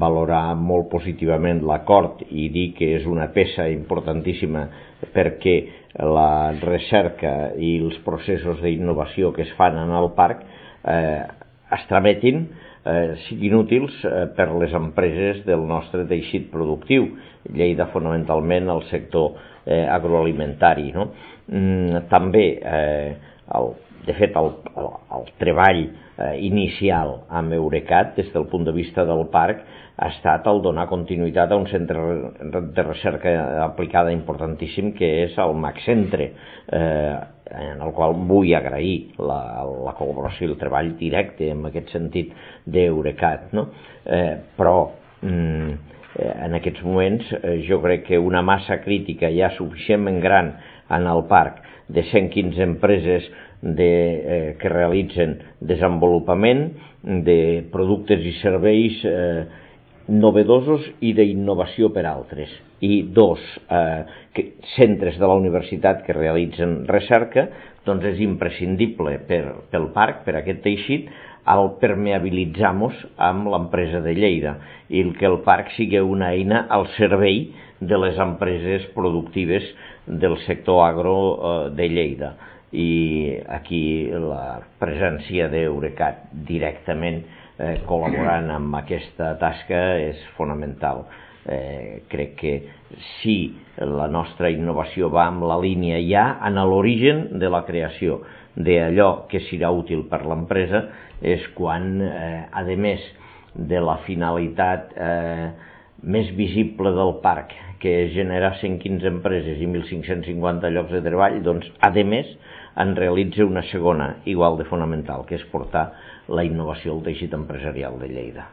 valorar molt positivament l'acord i dir que és una peça importantíssima perquè la recerca i els processos d'innovació que es fan en el parc es trametin, siguin útils per les empreses del nostre teixit productiu. Lleida fonamentalment el sector agroalimentari, no? També, de fet, el treball inicial amb Eurecat des del punt de vista del parc ha estat el donar continuïtat a un centre de recerca aplicada importantíssim que és el MACCentre, en el qual vull agrair la col·laboració i el treball directe en aquest sentit d'Eurecat, no? Però en aquests moments jo crec que una massa crítica ja suficientment gran en el parc de 115 empreses que realitzen desenvolupament de productes i serveis novedosos i d'innovació per altres, i dos centres de la universitat que realitzen recerca, doncs és imprescindible pel parc, per aquest teixit, el permeabilitzar-nos amb l'empresa de Lleida i que el parc sigui una eina al servei de les empreses productives del sector agro de Lleida. I aquí la presència d'Eurecat directament col·laborant amb aquesta tasca és fonamental. Crec que si la nostra innovació va en la línia ja en l'origen de la creació d'allò que serà útil per l'empresa, és quan, a més de la finalitat més visible del parc, que és generar 115 empreses i 1.550 llocs de treball, doncs, a més, en realitza una segona, igual de fonamental, que és portar la innovació al teixit empresarial de Lleida.